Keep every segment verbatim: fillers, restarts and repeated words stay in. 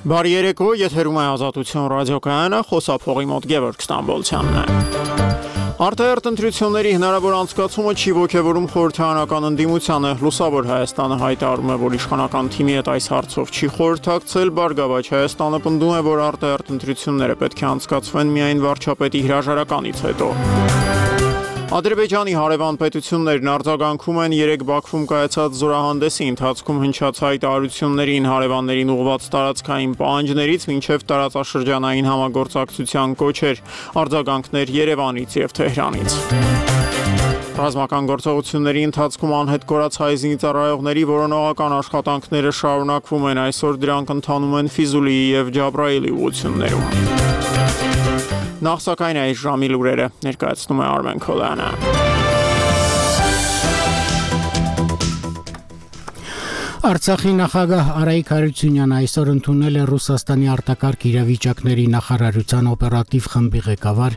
Բարի երեկո, եթերում է Ազատություն ռադիոկայանը, խոսափողի մոտ Գևորգ Ստամբոլցյանն է։ Արտահերթ ընտրությունների հնարավոր անցկացումը չի ոգևորում խորհրդարանական ընդդիմությանը։ Լուսավոր Հայաստանը հայտարարում է, որ իշխանական թիմի հետ այս հարցով չի խորհրդակցել, Բարգավաճ Հայաստանը պնդում է, որ արտահերթ ընտրությունները պետք է անցկացվեն միայն վարչապետի հրաժարականից հետո։ Ադրբեջանի հարևան պետություններն արձագանքում են երեկ Բաքվում կայացած զորահանդեսի ընթացքում հնչած հայտարարություններին, հարևաններին ուղղված տարածքային պահանջներից մինչև տարածաշրջանային համագործակցության կոչեր, արձագանքներ Երևանից և Թեհրանից։ Ռազմական գործողությունների ընթացքում անհետ կորած հայ զինծառայողների որոնողական աշխատանքները շարունակվում են, այսօր դրանք ընթանում են Ֆիզուլիի և Ջաբրայիլի ուղղություններում։ Նախ սակայն այս ժամի լուրերը ներկայացնում է Արմեն Քոլյանը։ Արցախի նախագահ Արայիկ Հարությունյանը այսօր ընդունել է Ռուսաստանի արտակարգ իրավիճակների նախարարության օպերատիվ խմբի ղեկավար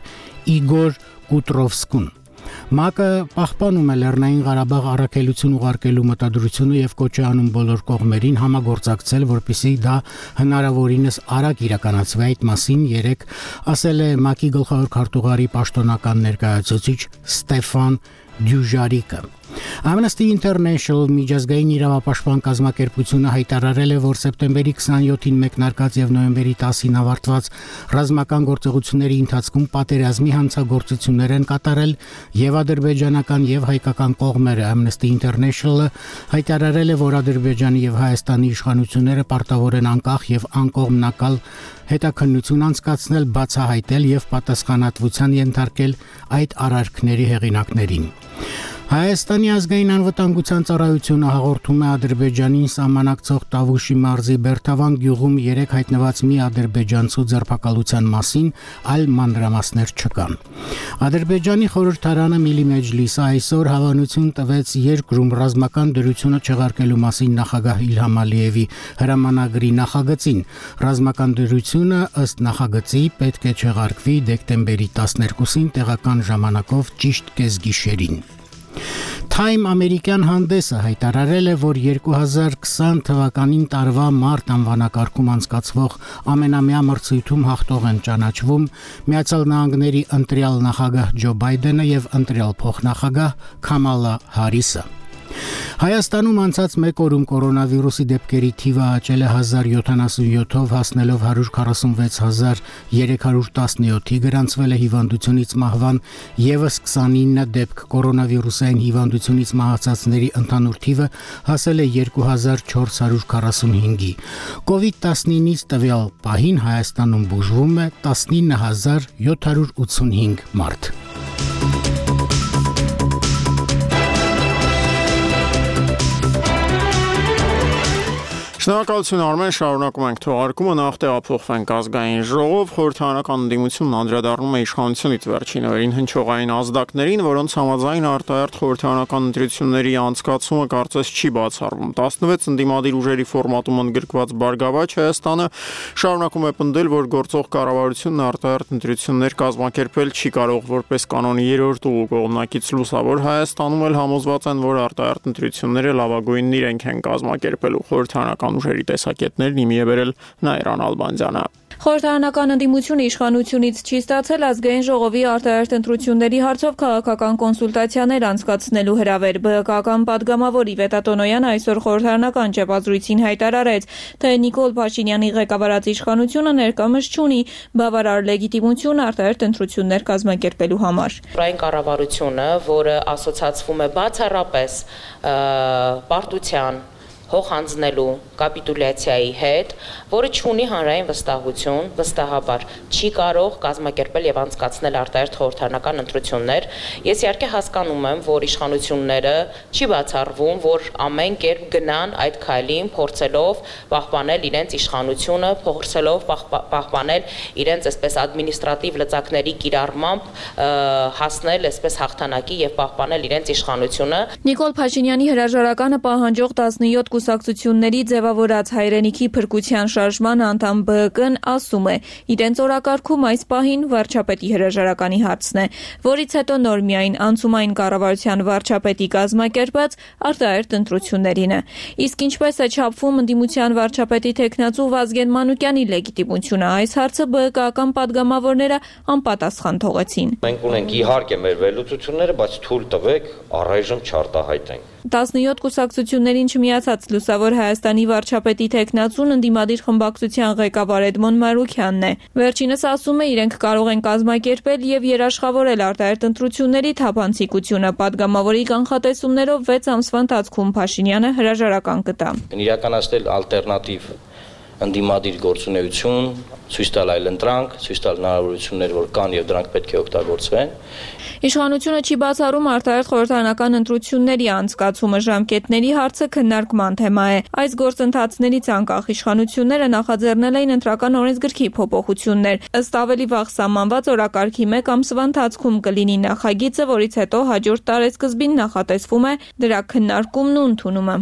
Իգոր Կուտրովսկուն։ ՄԱԿ-ը պահպանում է Լեռնային Ղարաբաղ առաքելություն ուղարկելու մտադրությունը եւ կոչ է անում բոլոր կողմերին համագործակցել, որպեսզի դա հնարավորինս արագ իրականացվի։ Այդ մասին երեկ ասել է ՄԱԿ-ի գլխավոր քարտուղարի պաշտոնական ներկայացուցիչ Ստեֆան Դյուժարիկը։ Amnesty International միջազգային իրավապաշտպան կազմակերպությունը հայտարարել է, որ սեպտեմբերի քսաներկուին մեկնարկած եւ նոյեմբերի տասին ավարտված ռազմական գործողությունների ընթացքում պատերազմի հանցագործություններ են կատարել եւ ադրբեջանական եւ հայկական կողմերը։ Amnesty International-ը հայտարարել է, որ Ադրբեջանի եւ Հայաստանի իշխանությունները պարտավոր են անկախ եւ անկողմնակալ հետաքննություն անցկացնել, բացահայտել եւ պատասխանատվության ենթարկել այդ արարքների հեղինակներին։ Հայաստանի ազգային անվտանգության ծառայությունը հաղորդում է Ադրբեջանին սահմանակցող Տավուշի մարզի Բերթավան գյուղում երեք հայտնված մի ադրբեջանցու ձերբակալության մասին, այլ մանրամասներ չկան։ Ադրբեջանի խորհրդարանը Միլի Մեջլիսը այսօր հավանություն տվեց երկրում ռազմական դրությունը չեղարկելու մասին նախագահ Իլհամ Ալիևի հրամանագրի նախագծին։ Ռազմական դրությունը ըստ նախագծի պետք է չեղարկվի դեկտեմբերի տասներկուսին տեղական ժամանակով ճիշտ կեսգիշերին։ Time ամերիկյան հանդեսը հայտարարել է, որ երկու հազար քսան թվականին տարվա մարտ անվանակարգում անցկացվող ամենամյա մրցույթում հաղթող են ճանաչվում Միացյալ Նահանգների ընտրյալ նախագահ Ջո Բայդենը եւ ընտրյալ փոխնախագահ Քամալա Հարիսը։ Հայաստանում անցած մեկ օրում կորոնավիրուսի դեպքերի թիվը աճել է հազար յոթանասունյոթով, հասնելով հարյուր քառասունվեց հազար երեք հարյուր տասնյոթի, գրանցվել է հիվանդությունից մահվան եւս քսանինը դեպք, կորոնավիրուսային հիվանդությունից մահացածների ընդհանուր թիվը հասել է երկու հազար չորս հարյուր քառասունհինգի։ կովիդ տասնինից տվյալ պահին Հայաստանում բուժվում է տասնինը հազար յոթ հարյուր ութսունհինգ մարդ։ Շնորհակալություն Արմեն, շարունակում ենք թողարկումը, նախ տեղափոխվենք ազգային ժողով, խորհրդարանական ընդդիմությունն անդրադառնում է իշխանությունից վերջին օրերին հնչողային ազդակներին, որոնց համաձայն արտահերթ խորհրդարանական ընտրությունների անցկացումը կարծես չի բացառվում։ տասնվեց ընդդիմադիր ուժերի ֆորմատում ընդգրկված Բարգավաճ Հայաստանը շարունակում է պնդել, որ գործող կառավարությունն արտահերթ ընտրություններ կազմակերպել չի կարող, որպես կանոնի երրորդ ուղու կողմնակից Լուսավոր Հայաստանում էլ համոզված են, որ արտահերթ ընտրությունները լավագույնն իրենք են կազմակերպելու։ Խորհրդարանական ուժերի տեսակետներն իմի է բերել Նայիրան Ալբանդյանը։ Խորհրդարանական ընդդիմությունը իշխանությունից չի ստացել ազգային ժողովի արտահերթ ընտրությունների հարցով քաղաքական կոնսուլտացիաներ անցկացնելու հրավեր։ ԲՀԿ-ական պատգամավոր Իվետ Ատոնոյանը այսօր խորհրդարանական ճեպազրույցին հայտարարեց, թե Նիկոլ Փաշինյանի ղեկավարած իշխանությունը ներկայումս չունի բավարար լեգիտիմություն արտահերթ ընտրություններ կազմակերպելու համար։ Այն կառավարությունը, որը ասոցացվում է բացառապես պարտության հող հանձնելու կապիտուլյացիայի հետ, որը չունի հանրային վստահություն, վստահաբար չի կարող կազմակերպել եւ անցկացնել արտահերթ խորհրդարանական ընտրություններ։ Ես իհարկե հասկանում եմ, որ իշխանությունները չի բացառվում, որ ամեն կերպ գնան այդ քայլին, փորձելով պահպանել իրենց իշխանությունը, փորձելով պահպանել իրենց այսպես ադմինիստրատիվ լծակների կիրառմամբ հասնել այսպես հաղթանակի եւ պահպանել իրենց իշխանությունը։ Նիկոլ Փաշինյանի հրաժարականը պահանջող տասնյոթ կուսակցությունների ձևավորած հայրենիքի փրկության շարժման անդամ Բ Կ-ն ասում է, իրենց օրակարգում այս պահին վարչապետի հրաժարականի հարցն է, որից հետո նոր միայն անցումային կառավարության վարչապետի կազմակերպած արտահերթ ընտրություններին է։ Իսկ ինչպես է չափվում ընդդիմության վարչապետի թեկնածու Վազգեն Մանուկյանի լեգիտիմությունը, այս հարցը Բ Կ-ական պատգամավորները անպատասխան թողեցին։ Մենք ունենք իհարկե մեր վերլուծությունները, բայց թույլ տվեք առայժմ չարտահայտենք։ տասնյոթ կուսակցություններին չմիացած Լուսավոր Հայաստանի վարչապետի թեկնածուն ընդդիմադիր խմբակցության ղեկավար Էդմոն Մարուքյանն է։ Վերջինս ասում է, իրենք կարող են կազմակերպել եւ երաշխավորել արտահերթ ընտրությունների թափանցիկությունը։ Պատգամավորի կանխատեսումներով վեց ամսվա ընթացքում Փաշինյանը հրաժարական կտա։ Իրականացնել ալտերնատիվ ընդդիմադիր գործունեություն, ցույց տալ այլ ընտրանք, ցույց տալ հնարավորություններ, որ կան եւ դրանք պետք է օգտագործվեն։ Իշխանությունը չի բացառում արտահերթ խորհրդարանական ընտրությունների անցկացումը, ժամկետների հարցը քննարկման թեմա է։ Այս գործընթացներից անկախ իշխանությունները նախաձեռնել էին ընտրական օրենսգրքի փոփոխություններ։ Ըստ ավելի վաղ սահմանված օրակարգի մեկ ամսվա ընթացքում կլինի նախագիծը, որից հետո հաջորդ տարեսկզբին նախատեսվում է դրա քննարկումն ու ընդունումը։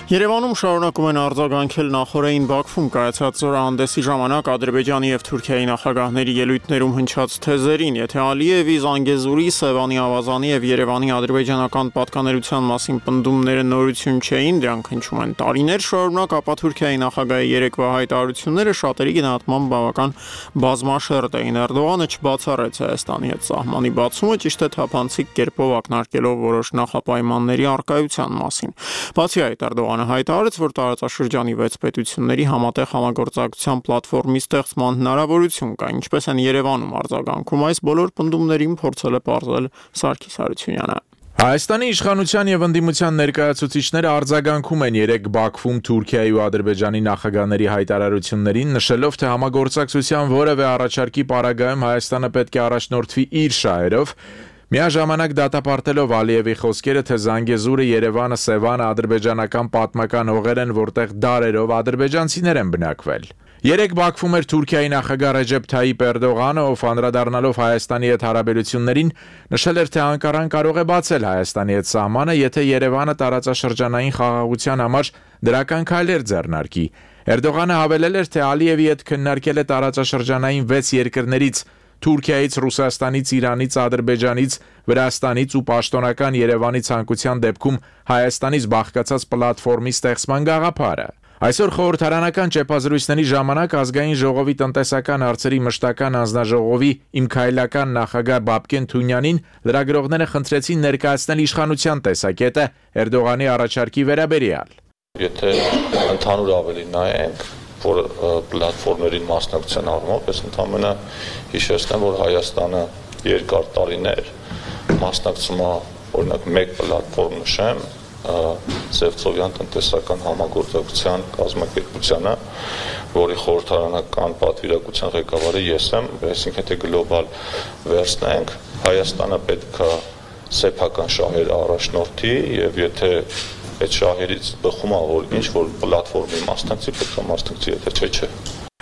Երևանում շարունակում են արձագանքել նախօրեին Բաքվում կայացած զորահանդեսի ժամանակ Ադրբեջանի եւ Թուրքիայի նախագահների ելույթներում հնչած թեզերին, եթե Ալիևի, Զանգեզուրի, Սևանի Ավազանի եւ Երևանի ադրբեջանական պատկանելության մասին պնդումները նորություն չէին, դրանք հնչում են տարիներ շարունակ, ապա Թուրքիայի նախագահի երեկվա հայտարարությունները շատերի գնահատմամբ բավական բազմաշերտ էին։ Էրդողանը չբացառեց Հայաստանի հետ սահմանի բացումը, ճիշտ է թափանցիկ կերպով ակնարկելով որոշ նախապայմանների առկայության մասին։ Բացի այդ, Էրդողանը հայտարարեց, որ տարածաշրջանի վեց պետությունների համատեղ համագործակցության պլատֆորմի ստեղծման հնարավորություն կա, ինչպես են Երևանում արձագանքում այս բոլոր պնդումներին փորձել է պարզել Սարգիս Հարությունյանը։ Հայաստանի իշխանության եւ ընդդիմության ներկայացուցիչները արձագանքում են երեք Բաքվում Թուրքիայի ու Ադրբեջանի նախագահների հայտարարություններին, նշելով, թե համագործակցության որևէ առաջարկի պարագայում Հայաստանը պետք է առաջնորդվի իր շահերով, միաժամանակ դատապարտելով Ալիևի խոսքերը, թե Զանգեզուրը, Երևանը, Սևանը ադրբեջանական պատմական հողեր են, որտեղ դարերով ադրբեջանցիներ են բնակվել։ Երեք Բաքվում էր Թուրքիայի նախագահ Ռեջեփ Թայիփ Էրդողանը, ով անդրադառնալով Հայաստանի հետ հարաբերություններին, նշել էր, թե Անկարան կարող է բացել Հայաստանի հետ սահմանը, եթե Երևանը տարածաշրջանային խաղաղության համար դրական քայլեր ձեռնարկի։ Էրդողանը հավելել էր, թե Ալիևի հետ քննարկել է տարածաշրջանային վեց երկրներից Թուրքիայից, Ռուսաստանից, Իրանից, Ադրբեջանից, Վրաստանից ու պաշտոնական Երևանի ցանկության դեպքում Հայաստանից բաղկացած պլատֆորմի ստեղծման գաղափարը։ Այսօր խորհրդարանական ճեպազրույցների ժամանակ ազգային ժողովի տնտեսական հարցերի մշտական անձնաժողովի Իմ քայլական նախագահ Բաբկեն Թունյանին լրագրողները խնդրեցին ներկայացնել իշխանության տեսակետը Էրդողանի առաջարկի վերաբերյալ։ Եթե ընդհանուր ավելի նայենք, որ պլատֆորմերին մասնակցության առումով, ես ընդամենը հիշեցնեմ, որ Հայաստանը երկար տարիներ մասնակցում է, օրինակ մեկ պլատֆորմ նշեմ, Սևծովյան տնտեսական համագործակցության կազմակերպությանը, որի խորհրդարանական պատվիրակության ղեկավարը ես եմ, այսինքն եթե գլոբալ վերցնենք, Հայաստանը պետք է սեփական շահեր առաջնորդի եւ եթե այդ շահերից բխում է, որ ինչ որ պլատֆորմի մասնակցի, պետք է մասնակցի, եթե չէ, չէ։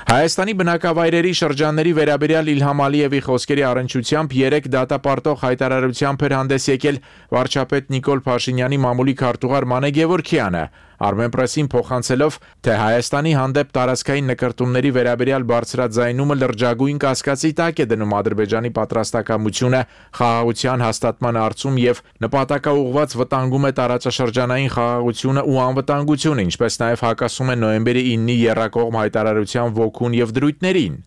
Հայաստանի բնակավայրերի շրջանների վերաբերյալ Իլհամ Ալիևի խոսքերի առնչությամբ երեք դատապարտող հայտարարությամբ էր հանդես եկել վարչապետ Նիկոլ Փաշինյանի մամուլի քարտուղար Մանե Գևորգյանը, Armenpress-ին փոխանցելով, թե Հայաստանի հանդեպ տարածքային նկարտումների վերաբերյալ բարձրաձայնումը լրջագույն կասկածի տակ է դնում Ադրբեջանի պատրաստակամությունը խաղաղության հաստատման հարցում եւ նպատակաուղղված վտանգում է տարածաշրջանային խաղաղությունը ու անվտանգությունը, ինչպես նաեւ հակասում է նոյեմբերի իննի եռակողմ հայտարարության ոգուն եւ դրույթներին։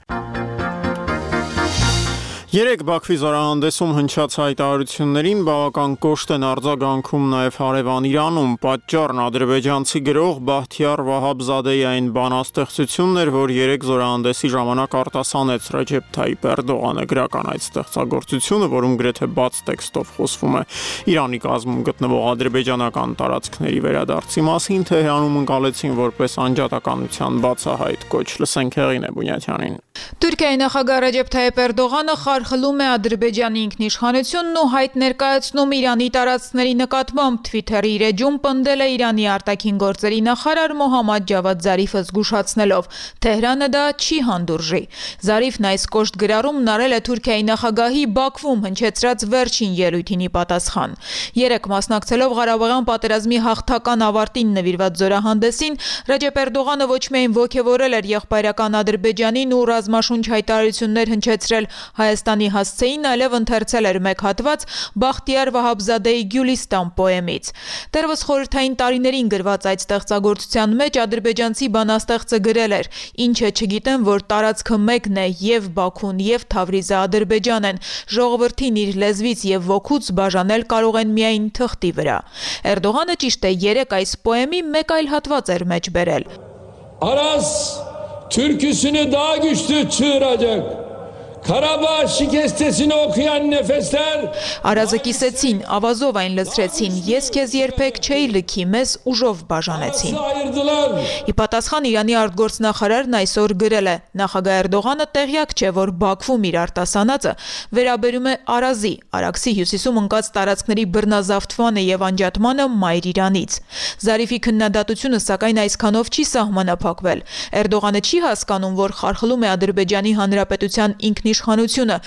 Երեք Բաքվի զորահանդեսում հնչած հայտարարություններին բավական կոշտ են արձագանքում նաև հարևան Իրանում։ Պատճառն ադրբեջանցի գրող Բախտիար Վահաբզադեի այն բանաստեղծությունն էր, որ երեք զորահանդեսի ժամանակ արտասանեց Ռեջեփ Թայիփ Էրդողանը։ Գրական այդ ստեղծագործությունը, որում գրեթե բաց տեքստով խոսվում է Իրանի կազմում գտնվող ադրբեջանական տարածքների վերադարձի մասին, Թեհրանում ընկալեցին որպես անջատականության բացահայտ կոչ։ Լսենք Հեղինե Բունյաթյանին։ Թուրքիայի նախագահ Ռեջեփ Թայիփ Էրդողանը խար խարխլում է Ադրբեջանի ինքնիշխանությունն ու հայտ ներկայացնում Իրանի տարածքների նկատմամբ Twitter-ի իր էջում պնդել է Իրանի արտաքին գործերի նախարար Մոհամմադ Ջավադ Զարիֆը զգուշացնելով. Թեհրանը դա չի հանդուրժի։ Զարիֆն այս կոշտ գրառումն արել է Թուրքիայի նախագահի Բաքվում հնչեցրած վերջին ելույթին ի պատասխան։ Երեկ մասնակցելով Ղարաբաղյան պատերազմի հաղթական ավարտին նվիրված զորահանդեսին, Ռեջեփ Էրդողանը ոչ միայն ոգևորել էր եղբայրական Ադրբեջանին ու ռազմաշունչ հայտարարություններ հնչեցրել Հայաստանի հասցեին, այլև ընթերցել էր մեկ հատված Բախտիար Վահաբզադեի Գյուլիստան պոեմից։ Դեռևս խորհրդային տարիներին գրված այդ ստեղծագործության մեջ ադրբեջանցի բանաստեղծը գրել էր. «Ինչը չգիտեմ, որ տարածքը մեկն է, եւ Բաքուն, եւ Թավրիզը Ադրբեջան են, ժողովրդին իր լեզվից եւ ոգուց բաժանել կարող են միայն թղթի վրա»։ Էրդողանը ճիշտ է երեք այս պոեմի մեկ այլ հատված էր մեջ բերել. Aras türküsünü daha güçlü çığıracak. Karabağ şikestesini okuyan nefesler Արազը կիսեցին, ավազով այն լցրեցին, ես քեզ երբեք չէի լքի, մեզ ուժով բաժանեցին։ Ի պատասխան Իրանի արտգործնախարարն այսօր գրել է. նախագահ Էրդողանը տեղյակ չէ, որ Բաքվում իր արտասանածը վերաբերում է Արազի, Արաքսի հյուսիսում ընկած տարածքների բռնազավթմանը եւ անջատմանը Մայր Իրանից։ Զարիֆի քննադատությունը սակայն այսքանով չի սահմանափակվել։ Էրդողանը չի հասկանում, որ խարխլում է Ադրբեջանի Հանրապետության ինքնիշխանությունը,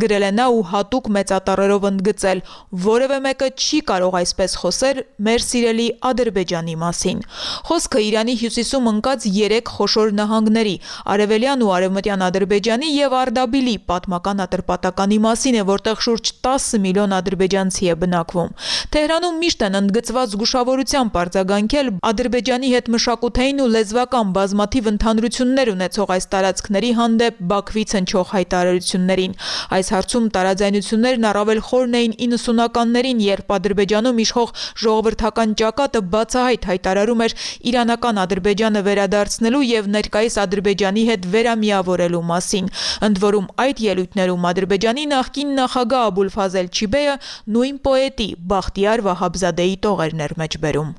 գրել է նա ու հատուկ մեծատառերով ընդգծել. որևէ մեկը չի կարող այսպես խոսել մեր սիրելի Ադրբեջանի մասին։ Խոսքը Իրանի հյուսիսում ընկած երեք խոշոր նահանգների՝ Արևելյան ու Արևմտյան Ադրբեջանի եւ Արդաբիլի պատմական ատրպատականի մասին է, որտեղ շուրջ տասը միլիոն ադրբեջանցի է բնակվում։ Թեհրանում միշտ են ընդգծված զգուշավորությամբ արձագանքել Ադրբեջանի հետ մշակութային ու լեզվական բազմաթիվ ընդհանրություններ ունեցող այս տարածքների հանդեպ Բաքվից հնչող հայտարարություններին։ Այս հարցում տարաձայնություններն առավել խորն էին իննսունականներին, երբ Ադրբեջանում իշխող ժողովրդական ճակատը բացահայտ հայտարարում էր իրանական Ադրբեջանը վերադարձնելու եւ ներկայիս Ադրբեջանի հետ վերամիավորելու մասին։ Ընդ որում այդ ելույթներում Ադրբեջանի նախկին նախագահ Աբուլֆազել Չիբեյը նույն պոետի Բախտիար Վահաբզադեի տողերն էր մեջ բերում։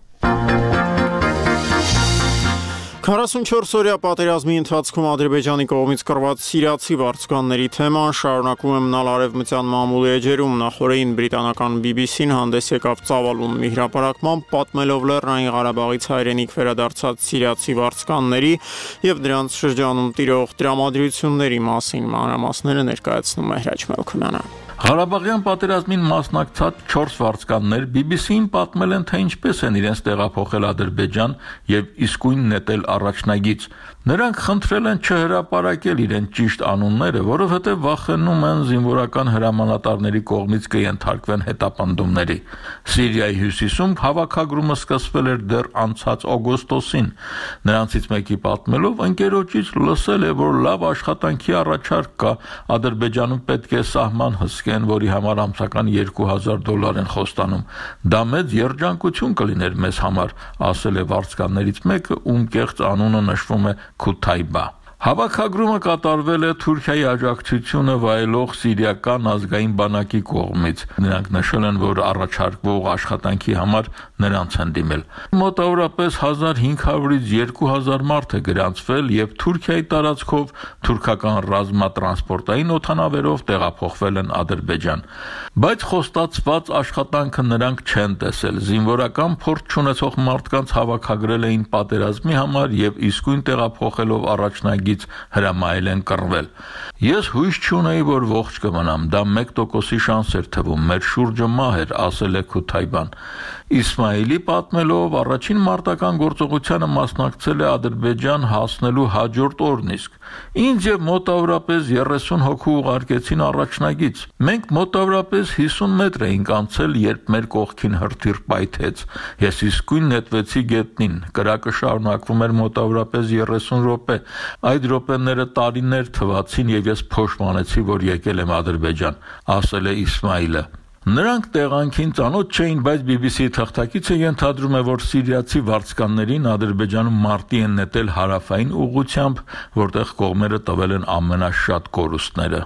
քառասունչորս-օրյա պատերազմի ընթացքում Ադրբեջանի կողմից կռված սիրիացի վարձկանների թեման շարունակում է մնալ արևմտյան մամուլի էջերում։ Նախորդին բրիտանական բի բի սին հանդես եկավ ծավալուն մի հրապարակմամբ, պատմելով Լեռնային Ղարաբաղից հայրենիք վերադարձած սիրիացի վարձկանների եւ դրանց շրջանում տիրող տրամադրությունների մասին մանրամասները ներկայացնում է Հրաչ Մելքոնյանը։ Ղարաբաղյան պատերազմին մասնակցած չորս վարձկաններ բի բի սին պատմել են, թե ինչպես են իրենց տեղափոխել Ադրբեջան եւ իսկույն նետել առաջնագիծ։ Նրանք խնդրել են չհրապարակել իրենց ճիշտ անունները, որովհետև վախենում են զինվորական հրամանատարների կողմից կենթարկվեն հետապնդումների։ Սիրիայի հյուսիսում հավաքագրումը սկսվել էր դեռ անցած օգոստոսին։ Նրանցից մեկի պատմելով ընկերոջից լսել է, որ լավ աշխատանքի առաջարկ կա, Ադրբեջանում պետք է սահման հսկեն, որի համար ամսական երկու հազար դոլար են խոստանում։ Դա մեծ երջանկություն կլիներ մեզ համար, ասել է վարձկաններից մեկը, ում կեղծ անունը նշվում է Քութայբա։ Հավաքագրումը կատարվել է Թուրքիայի աջակցությունը վայելող սիրիական ազգային բանակի կողմից։ Նրանք նշել են, որ առաջարկվող աշխատանքի համար նրանց են դիմել։ Մոտավորապես հազար հինգ հարյուրից երկու հազար մարդ է գրանցվել եւ Թուրքիայի տարածքով թուրքական ռազմատրանսպորտային օդանավերով տեղափոխվել են Ադրբեջան։ Բայց խոստացված աշխատանքը նրանք չեն տեսել։ Զինվորական փորձ չունեցող մարդկանց հավաքագրել էին պատերազմի համար եւ իսկույն տեղափոխելով առաջնագիծ հրամայել են կռվել։ Ես հույս չունեի, որ ողջ կմնամ, դա մեկ տոկոսի շանս էր թվում, մեր շուրջը մահ էր, ասել է Քութայբան։ Իսմայիլի պատմելով առաջին մարտական գործողությանը մասնակցել է Ադրբեջան հասնելու հաջորդ օրն իսկ։ Ինձ եւ մոտավորապես երեսուն հոգու ուղարկեցին առաջնագիծ։ Մենք մոտավորապես հիսուն մետր էինք անցել, երբ մեր կողքին հրթիռ պայթեց։ Ես իսկույն նետվեցի գետնին։ Կրակը շարունակվում էր մոտավորապես երեսուն րոպե։ Այդ րոպեները տարիներ թվացին եւ ես փոշմանեցի, որ եկել եմ Ադրբեջան, ասել է Իսմայիլը։ Նրանք տեղանքին ծանոթ չէին, բայց բի բի սի թղթակիցը ենթադրում է, որ սիրիացի վարձկաններին Ադրբեջանում մարտի են նետել հարավային ուղղությամբ, որտեղ կողմերը տվել են ամենաշատ կորուստները։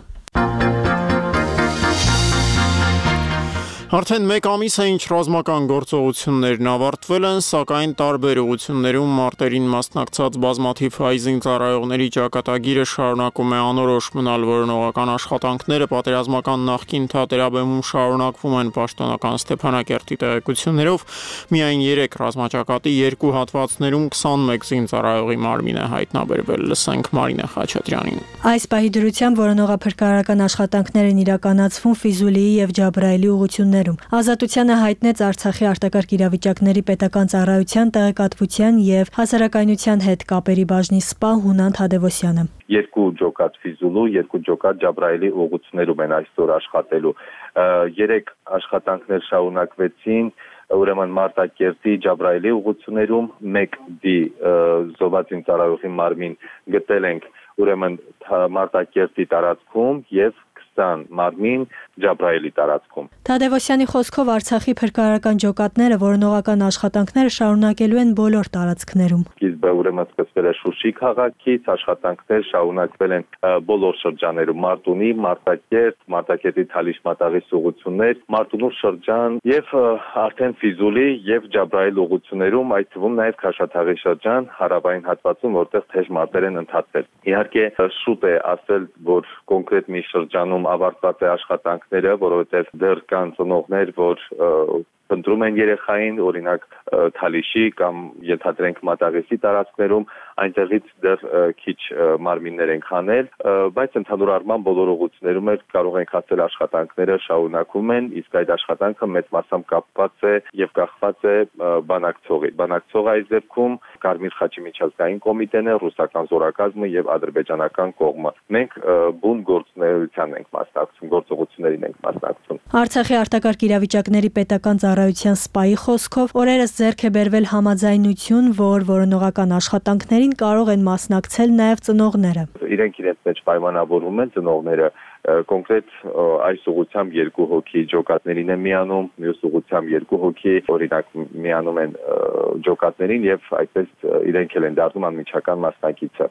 Արդեն մեկ ամիս է ինչ ռազմական գործողություններն ավարտվել են, սակայն տարբեր ուղղություններում մարտերին մասնակցած բազմաթիվ հայ զինծառայողների ճակատագիրը շարունակում է անորոշ մնալ, որոնողական աշխատանքները պատերազմական նախկին թատերաբեմում շարունակվում են պաշտոնական Ստեփանակերտի տեղեկություններով, միայն երեք ռազմաճակատի երկու հատվածներում քսանմեկ զինծառայողի մարմին է հայտնաբերվել, լսենք Մարինե Խաչատրյանին։ Այս պահի դրությամբ որոնողափրկարարական աշխատանքներ են իրականացվում Ֆիզուլիի եւ Ջաբրայելի ուղղություններում։ Ազատությանը հայտնեց Արցախի արտակարգ իրավիճակների պետական ծառայության տեղեկատվության եւ հասարակայնության հետ կապերի բաժնի սպա Հունան Թադևոսյանը։ Երկու ջոկատ Ֆիզուլու, երկու ջոկատ Ջաբրայելի ուղղություններում են այսօր աշխատելու։ Երեք աշխատանքներ շարունակվեցին ուրեմն Մարտակերտի Ջաբրայելի ուղղություններում, մեկ դի զոհված ծառայողի մարմին գտել ենք ուրեմն Մարտակերտի տարածքում եւ քսան մարմին Ջաբրայելի տարածքում։ Թադևոսյանի խոսքով Արցախի փրկարարական ջոկատները որոնողական աշխատանքները շարունակելու են բոլոր տարածքներում։ Սկիզբը ուրեմն սկսվել է Շուշի քաղաքից, աշխատանքներ շարունակվել են բոլոր շրջաներում՝ Մարտունի, Մարտակերտ, Մարտակերտի Թալիշ-Մատաղի ուղղություններ, Մարտունու շրջան եւ արդեն Ֆիզուլի եւ Ջաբրայել ուղղություններում, այդ թվում նաեւ Քաշաթաղի շրջան, հարավային հատվածում, որտեղ թեժ մարտեր են ընթացել։ Իհարկե շուտ է ասել, որ կոնկրետ մի շրջանում ավարտված է աշխատանքները, որովհետեւ դեռ կան ծնողներ, որ ընտրում են երեխային, օրինակ Թալիշի կամ ենթադրենք Մատաղիսի տարածքներում, այնտեղից դեռ քիչ մարմիններ են քանել, բայց ընդհանուր առմամբ բոլոր ուղղություններում էլ կարող ենք ասել աշխատանքները շարունակվում են, իսկ այդ աշխատանքը մեծ մասամբ կապված է եւ կախված է բանակցողի։ Բանակցողը այս դեպքում Կարմիր խաչի միջազգային կոմիտեն է, ռուսական զորակազմը եւ ադրբեջանական կողմը։ Մենք բուն գործունեության ենք մասնակցում, գործողություններին ենք մասնակցում։ Արցախի արտակարգ իրավիճակների պետական ծառայության սպայի խոսքով օրերս ձեռք է բերվել համաձայնություն, որ որոնողական աշխատանքներին կարող են մասնակցել նաև ծնողները։ Իրենք իրենց մեջ պայմանավորվում են ծնողները կոնկրետ այս ուղղությամբ երկու հոգի ջոկատներին են միանում, մյուս ուղղությամբ երկու հոգի օրինակ միանում են ջոկատներին եւ այդպես իրենք էլ են դառնում անմիջական մասնակիցը։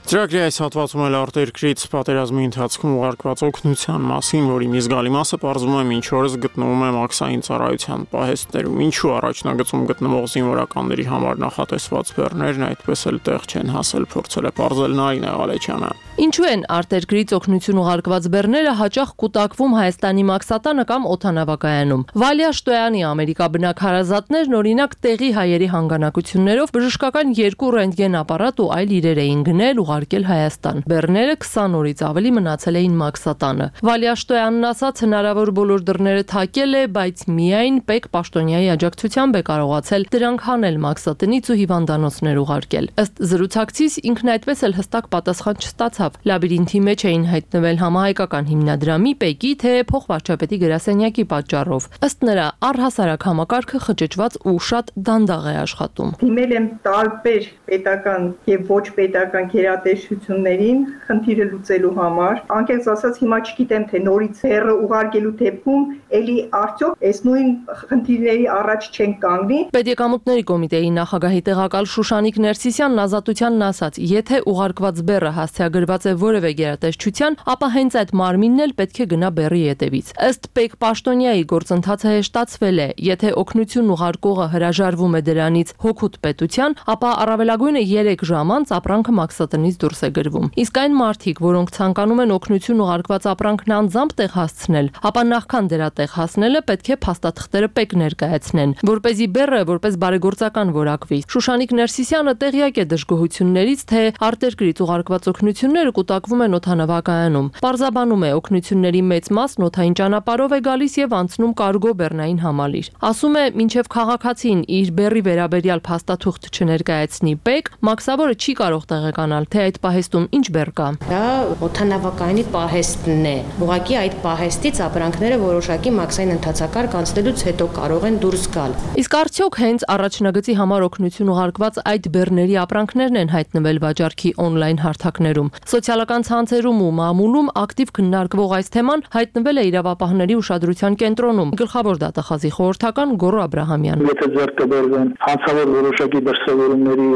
Ծրագրի այս հատվածում էլ արտերկրից պատերազմի ընթացքում ուղարկված օգնության մասին, որի մի զգալի մասը պարզվում է մինչ օրս գտնվում է մաքսային ծառայության պահեստներում, ինչու առաջնագծում գտնվող զինվորականների համար նախատեսված բեռներն այդպես էլ տեղ չեն հասել, փորձել է պարզել Նարինե Ղալեչյանը։ Ինչու են արտերկրից օգնություն ուղարկված բեռները հաճախ կուտակվում Հայաստանի մաքսատանը կամ օդանավակայանում։ Վալիա Շտոյանի ամերիկաբնակ հարազատներն օրինակ տեղի հայերի հանգանակություններով բժշկական երկու ռենտգեն ապարատ ու այլ իրեր էին գնել ուղարկել Հայաստան։ Բեռները քսան օրից ավելի մնացել էին մաքսատանը։ Վալիա Շտոյանն ասաց, հնարավոր բոլոր դռները թակել է, բայց միայն Պեկ Պաշտոնյայի աջակցությամբ է կարողացել դրանք հանել մաքսատնից ու հիվանդանոցներ ուղարկել։ Ըստ զրուցակցից ինքն այդպես էլ հստակ պատասխան չստացավ։ Լաբիրինթի մեջ էին հայտնվել համահայկական հիմնադրամի, Պեկի, թե փոխվարչապետի գրասենյակի պատճառով։ Ըստ նրա, առհասարակ համակարգը խճճված ու շատ դանդաղ է աշխատում։ Դիմել եմ տարբեր պետական եւ ոչ պետական գերատեսչություններին խնդիրը լուծելու համար։ Անկեղծ ասած, հիմա չգիտեմ, թե նորից հերը ուղարկելու դեպքում էլի արդյոք այս նույն խնդիրների առաջ չեն կանգնի։ Պետեկամուտների կոմիտեի նախագահի տեղակալ Շուշանիկ Ներսիսյանն Ազատությանն ասաց, եթե ուղարկված բեռը հասցեագրված է որևէ գերատեսչության, ապա հենց այդ մարմինն էլ պետք է գնա բեռի ետևից։ Ըստ Պեկ Պաշտոնյայի գործընթացը հեշտացվել է, եթե օգնություն ուղարկողը հրաժարվում է դրանից հոգուտ պետության, ապա առավելագույնը երեք ժամ անց ապրանքը մաքսատնից դուրս է գրվում։ Իսկ այն մարդիկ, որոնք ցանկանում են օգնություն ուղարկված ապրանքն անձամբ տեղ հասցնել, ապա նախքան դրա տեղ հասնելը պետք է փաստաթղթերը Պեկ ներկայացնեն, որպեսզի բեռը որպես բարեգործական որակվի։ Շուշանիկ Ներսիսյանը տեղյակ է դժգոհություններից, թե արտերկրից ուղարկված օգնությունները կուտակվում են օդանավակայանում։ Պարզաբանում է, օգնությունների մեծ մասն օդային ճանապարհով է գալիս եւ անցնում կարգո բեռնային համալիր։ Ասում է, մինչեւ քաղաքացին իր բեռի վերաբերյալ փաստաթուղթ չներկայացնի Պեկ, մաքսավորը չի կարող տեղեկանալ, թե այդ պահեստում ինչ բեռ կա։ Դա օդանավակայանի պահեստն է։ Ուղղակի այդ պահեստից ապրանքները որոշակի մաքսային ընթացակարգ անցնելուց հետո կարող են դուրս գալ։ Իսկ արդյոք հենց առաջնագծի համար օգնություն ուղարկված այդ բեռների ապրանքներն են հայտնվել վաճառքի օնլայն հարթակներում։ Սոցիալական ցանցերում ու մամուլում ակտիվ քննարկվող այս թեման հայտնվել է իրավապահների ուշադրության կենտրոնում։ Գլխավոր դատախազի խորհրդական Գոռ Աբրահամյան։ Եթե ձեռք կբերվեն հանցավոր որոշակի դրսևորումների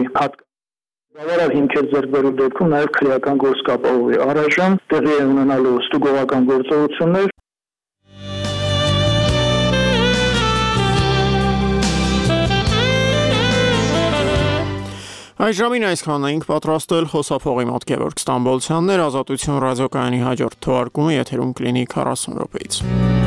բավարար հիմքեր ձեռք բերելու դեպքում նաև քրեական գործ կապահովի։ Առայժմ տեղի են ունենալու ստուգողական գործողություններ։ Այս ժամին այսքանն էինք պատրաստել խոսափողի մոտ Գևորգ Ստամբոլցյանն էր Ազատություն ռադիոկայանի հաջորդ թողարկումը եթերում կլինի քառասուն րոպեից։